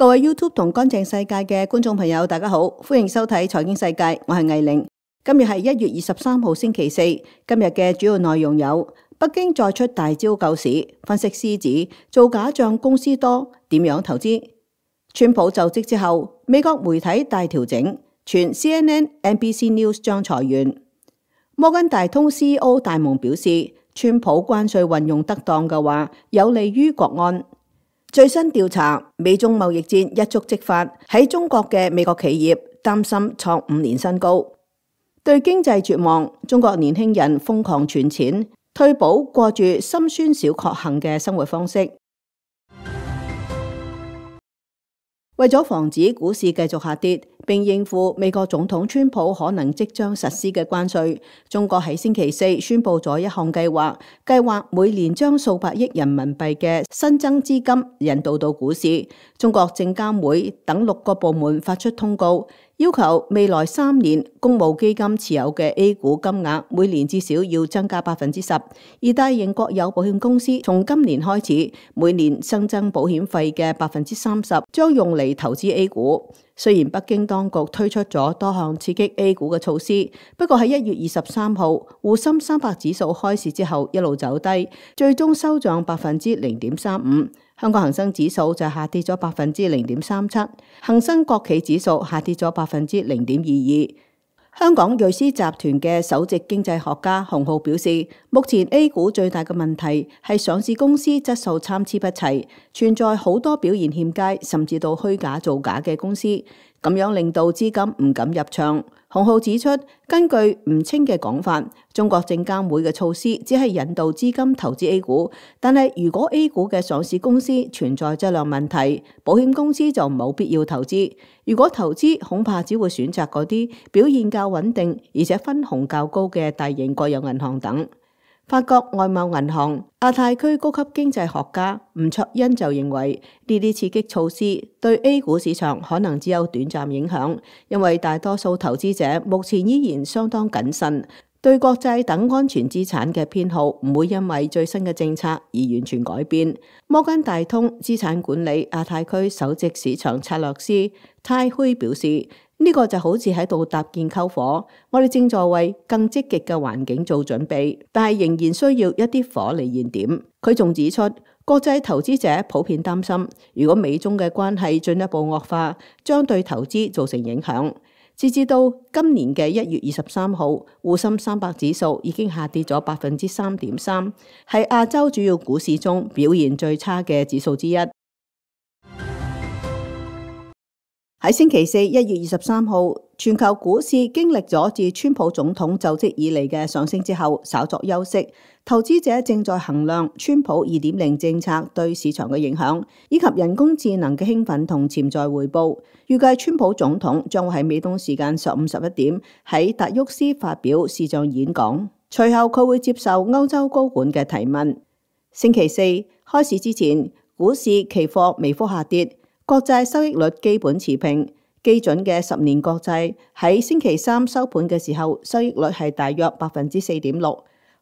各位 YouTube 同乾淨世界嘅觀眾朋友，大家好，歡迎收睇財經世界，我係魏玲。今日係1月23號星期四，今日嘅主要內容有：北京再出大招救市，分析師指做假賬公司多，點樣投資？川普就職之後，美國媒體大調整，傳 CNN、NBC News 將裁員。摩根大通 CEO 戴蒙表示，川普關稅運用得當嘅話，有利於國安。最新調查，美中貿易戰一觸即發，喺中國嘅美國企業擔心創5年新高。對經濟絕望，中國年輕人瘋狂存錢，退保過住心酸小確幸嘅生活方式。為咗防止股市繼續下跌，並應付美國總統川普可能即將實施嘅關稅，中國喺星期四宣布咗一項計劃，每年將數百億人民幣嘅新增資金引導到股市。中國證監會等6個部門發出通告，要求未來3年公募基金持有嘅 A 股金額每年至少要增加10%，而大型國有保險公司從今年開始，每年新增保險費嘅30%將用嚟投資 A 股。雖然北京當局推出咗多項刺激 A 股嘅措施，不過喺1月23號滬深300指數開市之後一路走低，最終收漲0.35%。香港恒生指數就下跌咗0.37%，恒生國企指數下跌咗0.22%。香港瑞思集團嘅首席經濟學家洪浩表示，目前 A 股最大嘅問題係上市公司質素參差不齊，存在好多表現欠佳甚至到虛假造假嘅公司，咁樣令到資金唔敢入場。洪浩指出，根據吳清嘅講法，中國證監會嘅措施只係引導資金投資 A 股，但係如果 A 股嘅上市公司存在質量問題，保險公司就冇必要投資。如果投資，恐怕只會選擇嗰啲表現較穩定而且分紅較高嘅大型國有銀行等。法國外貿銀行亞太區高級經濟學家吳卓恩就認為，呢啲刺激措施對 A 股市場可能只有短暫影響，因為大多數投資者目前依然相當謹慎，對國債等安全資產嘅偏好唔會因為最新嘅政策而完全改變。摩根大通資產管理亞太區首席市場策略師泰虛表示，呢個就好似喺度搭建篝火，我哋正在為更積極嘅環境做準備，但係仍然需要一啲火嚟燃點。佢仲指出，國際投資者普遍擔心，如果美中嘅關係進一步惡化，將對投資造成影響。截至到今年嘅1月23號，滬深300指數已經下跌咗3.3%，係亞洲主要股市中表現最差嘅指數之一。喺星期四1月23號，全球股市經歷咗自川普總統就職以嚟嘅上升之後，稍作休息。投資者正在衡量川普2.0政策對市場嘅影響，以及人工智能嘅興奮同潛在回報。預計川普總統將會喺美東時間上午11點喺達沃斯發表視像演講，隨後佢會接受歐洲高管嘅提問。星期四開市之前，股市期貨微幅下跌。國債收益率基本持平，基準嘅10年國債喺星期三收盤嘅時候，收益率係大約4.6%。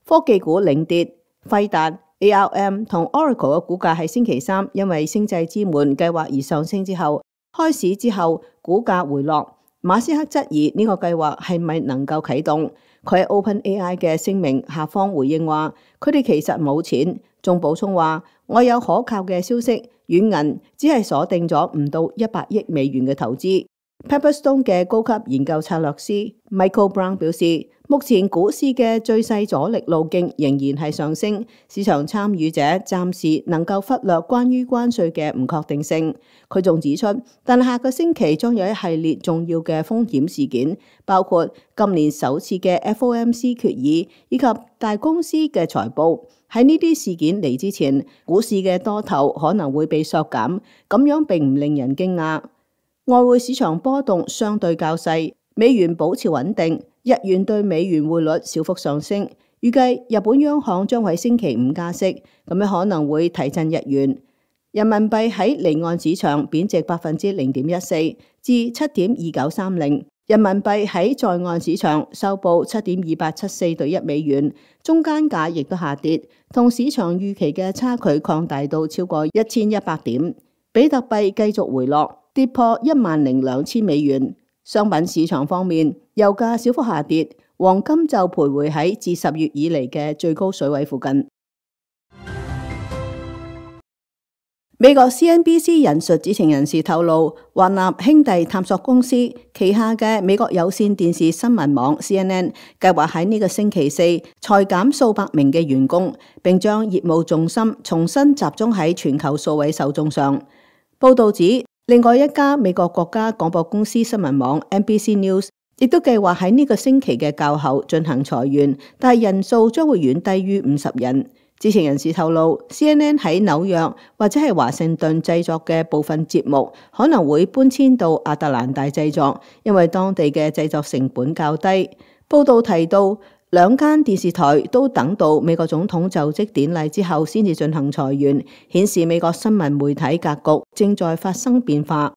科技股領跌，輝達、ARM 同 Oracle 嘅股價喺星期三因為星際之門計劃而上升之後，開市之後股價回落。馬斯克質疑呢個計劃係咪能夠啟動？佢喺 OpenAI 嘅聲明下方回應話，佢哋其實冇錢，仲補充話，我有可靠嘅消息，軟銀只係鎖定咗唔到100億美元嘅投資。Pepperstone 嘅高級研究策略師 Michael Brown 表示，目前股市嘅最細阻力路徑仍然係上升，市場參與者暫時能夠忽略關於關稅嘅唔確定性。佢仲指出，但下個星期將有一系列重要嘅風險事件，包括今年首次嘅 FOMC 決議以及大公司嘅財報。喺呢啲事件嚟之前，股市嘅多頭可能會被削減，咁樣並唔令人驚訝。外匯市場波動相對較細，美元保持穩定，日元對美元匯率小幅上升。預計日本央行將喺星期5加息，咁樣可能會提振日元。人民幣喺離岸市場貶值0.14%至7.2930，人民幣喺在岸市場收報7.2874對1美元，中間價亦都下跌，同市場預期嘅差距擴大到超過1100點。比特幣繼續回落，跌破10,200美元。商品市場方面，油價小幅下跌，黃金就徘徊喺自10月以嚟嘅最高水位附近。美國 CNBC 引述知情人士透露，華納兄弟探索公司旗下嘅美國有線電視新聞網 CNN 計劃喺呢個星期四裁減數百名嘅員工，並將業務重心重新集中喺全球數位受眾上。報道指，另外一家美國國家廣播公司新聞網 NBC News 亦都計劃喺呢個星期嘅較後進行裁員，但係人數將會遠低於50人。知情人士透露 ，CNN 喺紐約或者係華盛頓製作嘅部分節目可能會搬遷到亞特蘭大製作，因為當地嘅製作成本較低。報道提到，兩間電視台都等到美國總統就職典禮之後先至進行裁員，顯示美國新聞媒體格局正在發生變化。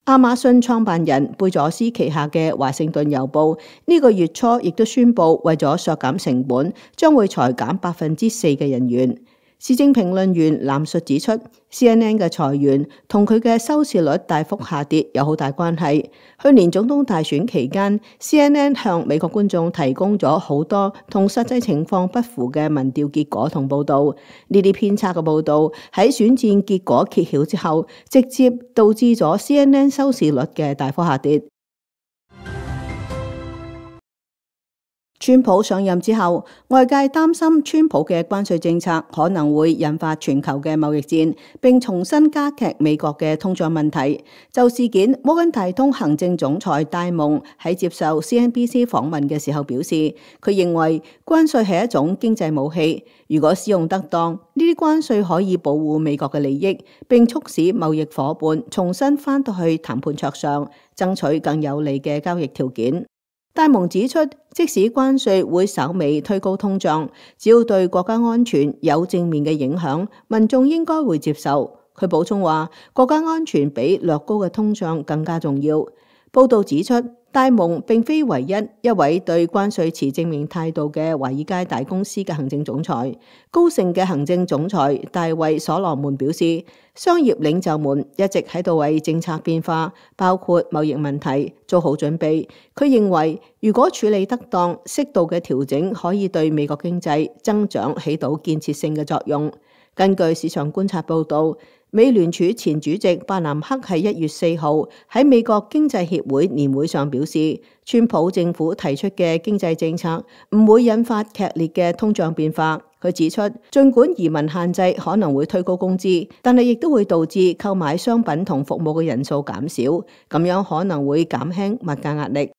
亞馬遜創辦人貝佐斯旗下嘅華盛頓郵報呢個月初亦都宣布，為咗削減成本，將會裁減4%嘅人員。時政評論員藍述指出 ，CNN 嘅裁員同佢嘅收視率大幅下跌有好大關係。去年總統大選期間 ，CNN 向美國觀眾提供咗好多同實際情況不符嘅民調結果同報導。呢啲偏差嘅報導喺選戰結果揭曉之後，直接導致咗 CNN 收視率嘅大幅下跌。川普上任之後，外界擔心川普嘅關稅政策可能會引發全球嘅貿易戰，並重新加劇美國嘅通脹問題。就事件，摩根大通行政總裁戴蒙喺接受 CNBC 訪問嘅時候表示，佢認為關稅係一種經濟武器，如果使用得當，呢啲關稅可以保護美國嘅利益，並促使貿易夥伴重新返到去談判桌上，爭取更有利嘅交易條件。戴蒙指出，即使關稅會稍微推高通脹，只要對國家安全有正面嘅影響，民眾應該會接受。佢補充話，國家安全比略高嘅通脹更加重要。報道指出，戴蒙並非唯一位對關稅持正面態度嘅華爾街大公司嘅行政總裁。高盛嘅行政總裁大衛所羅門表示，商業領袖們一直喺度為政策變化，包括貿易問題，做好準備。佢認為，如果處理得當，適度嘅調整可以對美國經濟增長起到建設性嘅作用。根據市場觀察報導，美聯儲前主席伯南克喺1月4號喺美國經濟協會年會上表示，川普政府提出嘅經濟政策唔會引發劇烈嘅通脹變化。佢指出，儘管移民限制可能會推高工資，但係亦都會導致購買商品同服務嘅人數減少，咁樣可能會減輕物價壓力。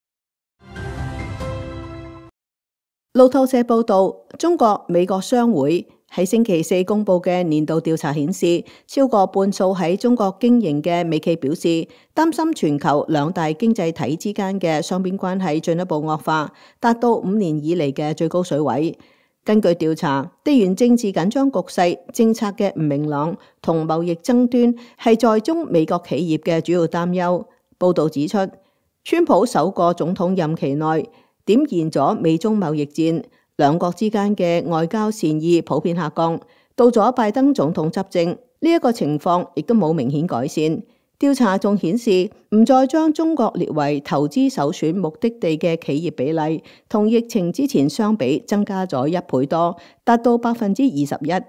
路透社報導，中國美國商會喺星期四公布嘅年度調查顯示，超過半數喺中國經營嘅美企表示，擔心全球兩大經濟體之間嘅雙邊關係進一步惡化，達到5年以嚟嘅最高水位。根據調查，地緣政治緊張局勢、政策嘅唔明朗同貿易爭端係在中美國企業嘅主要擔憂。報導指出，川普首個總統任期內點燃咗美中貿易戰，兩國之間嘅外交善意普遍下降。到咗拜登總統執政，呢一個情況亦都冇明顯改善。調查仲顯示，唔再將中國列為投資首選目的地嘅企業比例，同疫情之前相比增加咗1倍多，達到21%。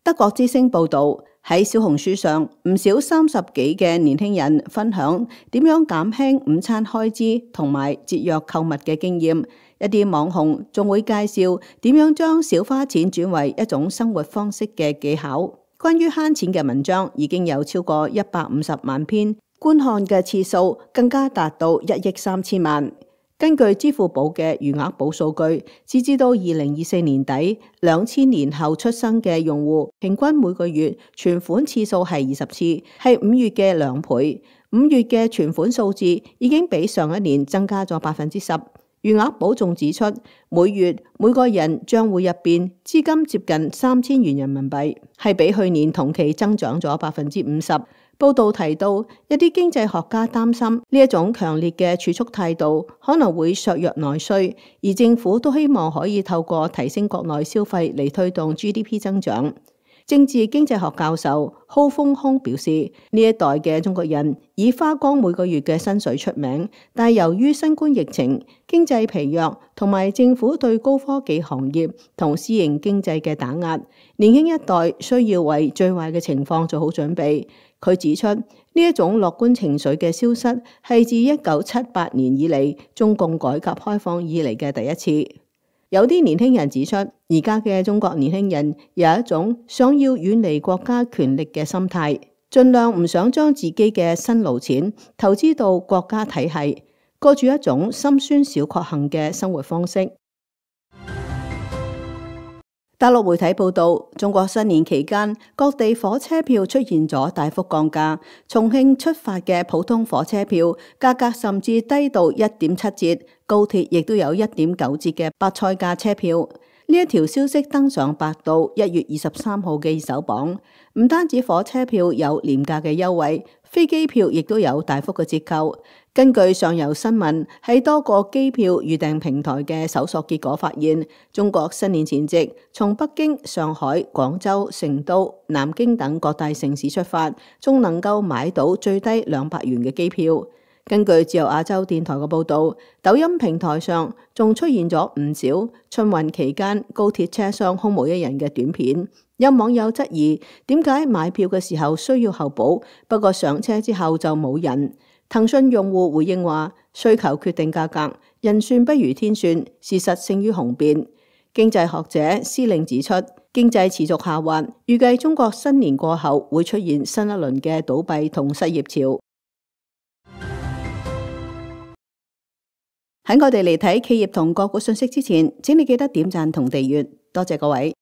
德國之聲報導，喺小紅書上，唔少30幾嘅年輕人分享點樣減輕午餐開支同埋節約購物嘅經驗。一啲網紅仲會介紹點樣將少花錢轉為一種生活方式嘅技巧。關於慳錢嘅文章已經有超過150萬篇，觀看嘅次數更加達到1億3千萬。根據支付寶嘅餘額寶數據，截至到2024年底，2000年後出生嘅用戶平均每個月存款次數係20次，係5月嘅2倍。5月嘅存款數字已經比上一年增加咗10%。餘額寶仲指出，每月每個人賬戶入邊資金接近3000元人民幣，係比去年同期增長咗50%。報道提到，一啲經濟學家擔心呢一種強烈嘅儲蓄態度可能會削弱內需，而政府都希望可以透過提升國內消費嚟推動 GDP 增長。政治經濟學教授蒿豐空表示，呢一代嘅中國人以花光每個月嘅薪水出名，但由於新冠疫情、經濟疲弱同埋政府對高科技行業同私營經濟嘅打壓，年輕一代需要為最壞嘅情況做好準備。佢指出，呢一種樂觀情緒嘅消失係自1978年以嚟中共改革開放以嚟嘅第一次。有啲年輕人指出，而家嘅中國年輕人有一種想要遠離國家權力嘅心態，盡量唔想將自己嘅辛勞錢投資到國家體系，過住一種心酸小確幸嘅生活方式。大陸媒體報道，中國新年期間，各地火車票出現咗大幅降價。重慶出發嘅普通火車票價格甚至低到1.7折，高鐵亦都有1.9折嘅白菜價車票。呢一條消息登上百度1月23號嘅熱搜榜。唔單止火車票有廉價嘅優惠，飛機票亦都有大幅嘅折扣。根據上游新聞喺多個機票預訂平台嘅搜索結果發現，中國新年前夕從北京、上海、廣州、成都、南京等各大城市出發，仲能夠買到最低200元嘅機票。根據自由亞洲電台嘅報導，抖音平台上仲出現咗唔少春運期間高鐵車廂空無一人嘅短片。有網友質疑點解買票嘅時候需要候補，不過上車之後就冇人。騰訊用戶回應話：需求決定價格，人算不如天算，事實勝於雄辯。經濟學者施令指出，經濟持續下滑，預計中國新年過後會出現新一輪嘅倒閉同失業潮。喺我哋嚟睇企業同個股信息之前，請你記得點讚同訂閱，多謝各位。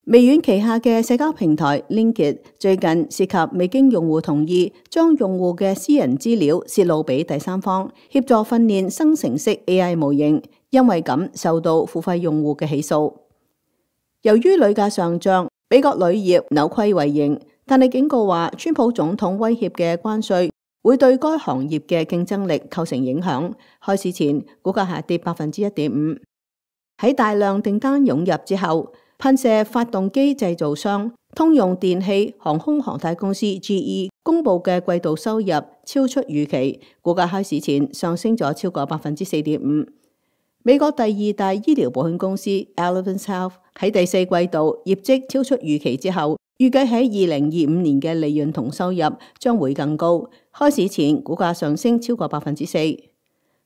微軟旗下嘅社交平台 LinkedIn 最近涉及未經用戶同意，將用戶嘅私人資料泄露俾第三方，協助訓練生成式 AI 模型，因為咁受到付費用戶嘅起訴。由於鋁價上漲，美國鋁業扭虧為盈，但係警告話，川普總統威脅嘅關稅會對該行業嘅競爭力構成影響。開市前，股價下跌1.5%。喺大量訂單湧入之後，噴射發動機製造商通用電氣航空航太公司 GE 公布嘅季度收入超出預期，股價開市前上升咗超過4.5%。美國第二大醫療保險公司 Elevance Health 喺第四季度業績超出預期之後，預計喺2025年嘅利潤同收入將會更高。開市前股價上升超過4%。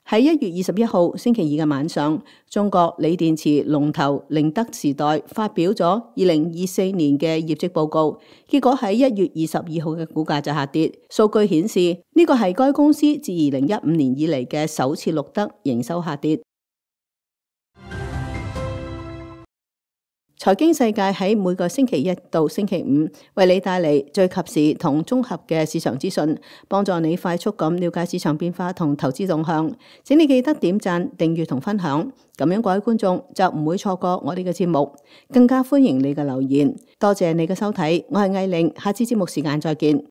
喺1月21號星期二嘅晚上，中國鋰電池龍頭寧德時代發表咗2024年嘅業績報告，結果喺1月22號嘅股價就下跌。數據顯示呢個係該公司自2015年以嚟嘅首次錄得營收下跌。財經世界喺每個星期一到星期五為你帶嚟最及時同綜合嘅市場資訊，幫助你快速咁了解市場變化同投資動向。請你記得點讚、訂閱同分享，咁樣各位觀眾就唔會錯過我哋嘅節目。更加歡迎你嘅留言。多謝你嘅收睇，我係艾玲，下次節目時間再見。